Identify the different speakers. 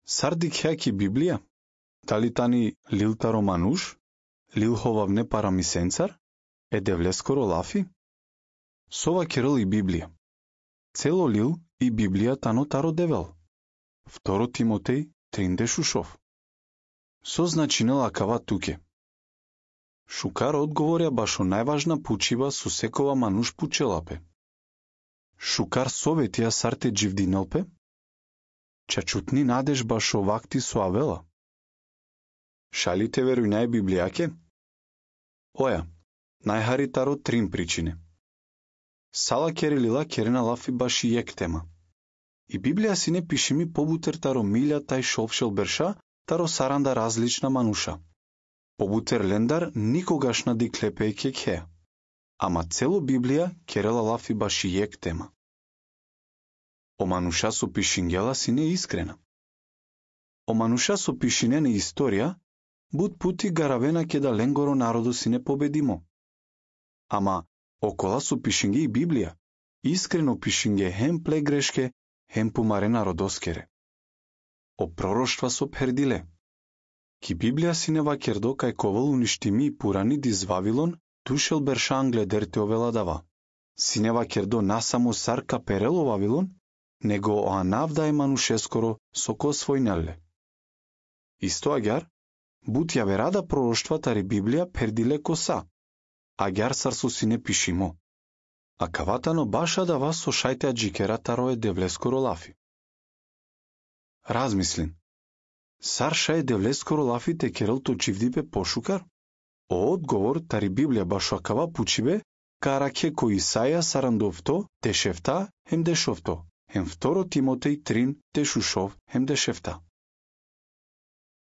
Speaker 1: Сардик Библија? Дали тани лилтаро мануш? Лилховавне парамисенцар? Едевлескоро лафи? Сова керел и Библија. Цело лил и Библија тано таро девел. 2 Тимотеј 3 шушов. Со значине лакава туке. Шукар одговорја башо најважна пучива со секова мануш пучелапе. Шукар советија сарте дживдинелпе? Чачутни надеж башо вакти со авела. Шалите веруј нај Библијаке? Оја, најхаритаро 3 причине. Сала керелила керена лафи баши јек тема. И Библија си не пиши ми побутер таро милја тај шолфшел берша, таро саранда различна мануша. Побутер лендар никогаш на диклепе кекхе. Ама цело Библија керела лафи баши јек тема. О мануша со пишингела си не искрена. О мануша со пишинене историја, буд пути гаравена ке да ленгоро народо си не победимо. Ама, окола со пишинге и Библија, искрено пишинге хем плегрешке, хем помарена родоскере. О пророштва со пердиле. Ки Библија си не вакердо кај ковал уништими и пурани диз Вавилон, тушел бершан гледерте овеладава. Си не вакердо насамо сарка перело Вавилон, него оанавда е манушескоро со ко својнале. Исто агар, бут ја верада пророштва тари Библија пердиле коса, агар сарсо си не пишимо. А каватано баша да вас со шајте аджикера таро е девлескоро лафи. Размислин. Сарша е девлескоро лафи те керелто чивдипе пошукар? О одговор тари Библија башо акава пучибе, караке кој Исаја сарандовто, тешефта, хем дешовто, хем 2 Тимотеј 3 тешушов, хем дешефта.